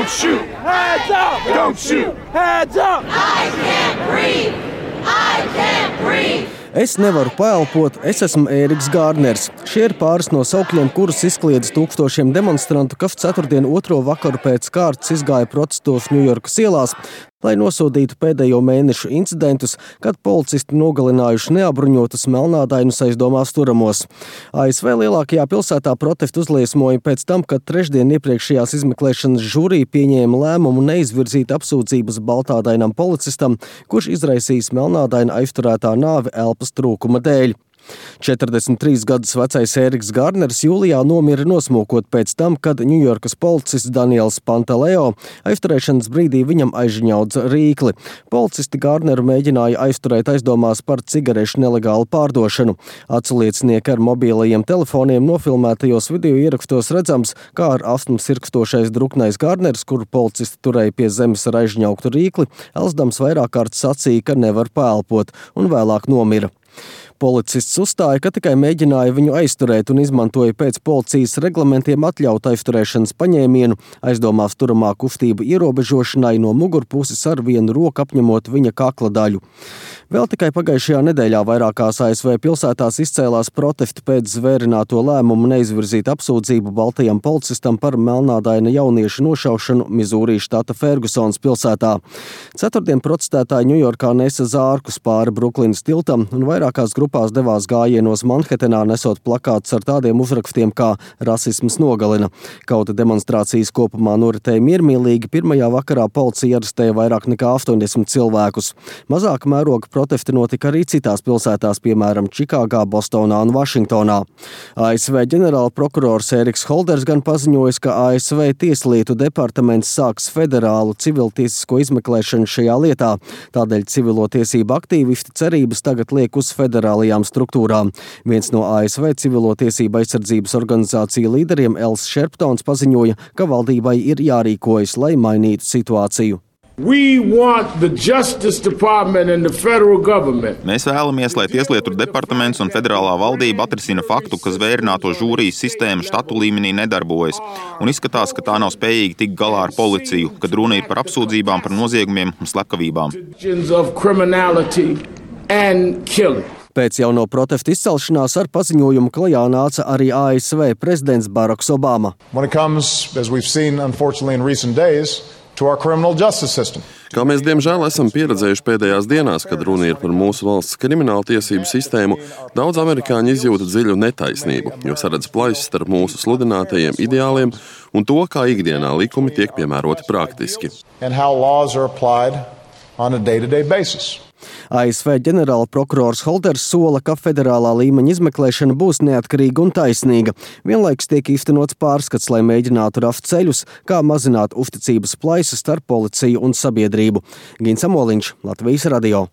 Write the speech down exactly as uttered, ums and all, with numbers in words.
Don't shoot! Hands up! Don't shoot! Hands up! I can't breathe! I can't breathe! Es nevaru paelpot, es esmu Ēriks Gārners. Šie ir pāris no saukļiem, kurus izkliedz tūkstošiem demonstrantu, kas ceturtdien otro vakaru pēc kārtas izgāja protestos Ņujorkas ielās, lai nosodītu pēdējo mēnešu incidentus, kad policisti nogalinājuši neapbruņotus melnādainus aizdomās turamos. A S V lielākajā pilsētā protestu uzliesmoja pēc tam, kad trešdien iepriekšējās izmeklēšanas žūrija pieņēma lēmumu neizvirzīt apsūdzības baltādainam policistam, kurš izraisījis melnādaina aizturētā nāvi elpas trūkuma dēļ. četrdesmit trīs gadus vecais Ēriks Gārners jūlijā nomira nosmokot pēc tam, kad Ņujorkas policists Daniels Pantaleo aizturēšanas brīdī viņam aizžņaudza rīkli. Policisti Gārneru mēģināja aizturēt aizdomās par cigarešu nelegālu pārdošanu. Aculiecinieki ar mobilajiem telefoniem nofilmētajos video ierakstos redzams, kā ar astmu sirkstošais druknais Gārners, kuru policisti turēja pie zemes ar aizžņaugtu rīkli, elsdams vairāk kārt sacīja, ka nevar paelpot, un vēlāk nomira. Policists uzstāja, ka tikai mēģināja viņu aizturēt un izmantoja pēc policijas reglamentiem atļautu aizturēšanas paņēmienu, aizdomās turamā kustība ierobežošanai no mugurpuses ar vienu roku apņemot viņa kakla daļu. Vēl tikai pagājušajā nedēļā vairākās A S V pilsētās izcēlās protesti pēc zvērināto lēmumu neizvirzīt apsūdzību baltajam policistam par melnādaina jauniešu nošaušanu Mizūrī štata Fergusons pilsētā. Ceturtdien protestētāji Ņujorkā nesa zārkus pāri Bruklinas tiltam un vairākās grupās devās gājienos Manhetenā, nesot plakātus ar tādiem uzrakstiem kā rasisms nogalina. Kaut demonstrācijas kopumā noritēja miermīlīgi, pirmajā vakarā policija arestēja vairāk nekā astoņdesmit cilvēkus. Mazāka mēroga protesti notika arī citās pilsētās, piemēram, Čikāgā, Bostonā un Vašingtonā. A S V ģenerāla prokurors Eriks Holders gan paziņoja, ka A S V tieslietu departaments sāks federālu civiltiesisko izmeklēšanu šajā lietā. Tādēļ civilo tiesību aktīvisti cerības tagad liek uz federālajām struktūrām. Viens no A S V civilo tiesību aizsardzības organizāciju līderiem Els Šerptons paziņoja, ka valdībai ir jārīkojas, lai mainītu situāciju. We want the Justice Department and the federal government. Mēs vēlamies, lai Tieslietu departaments un federālā valdība atrisina faktu, ka zvērināto žūrijas sistēma štatu līmenī nedarbojas, un izskatās, ka tā nav spējīga tikt galā ar policiju, kad runa ir par apsūdzībām par noziegumiem un slepkavībām. Pēc jauno protestu izcelšanās ar paziņojumu klajā nāca arī A S V prezidents Baraks Obama. Kā mēs diemžēl esam pieredzējuši pēdējās dienās, kad runa ir par mūsu valsts krimināltiesību sistēmu, daudz amerikāņu izjūta dziļu netaisnību, jo saredz plaisu starp mūsu sludinātajiem ideāliem un to, kā ikdienā likumi tiek piemēroti praktiski. A S V ģenerāla prokurors Holders sola, ka federālā līmeņa izmeklēšana būs neatkarīga un taisnīga. Vienlaikus tiek īstenots pārskats, lai mēģinātu rast ceļus, kā mazināt uzticības plaisu starp policiju un sabiedrību. Gins Amoliņš, Latvijas radio.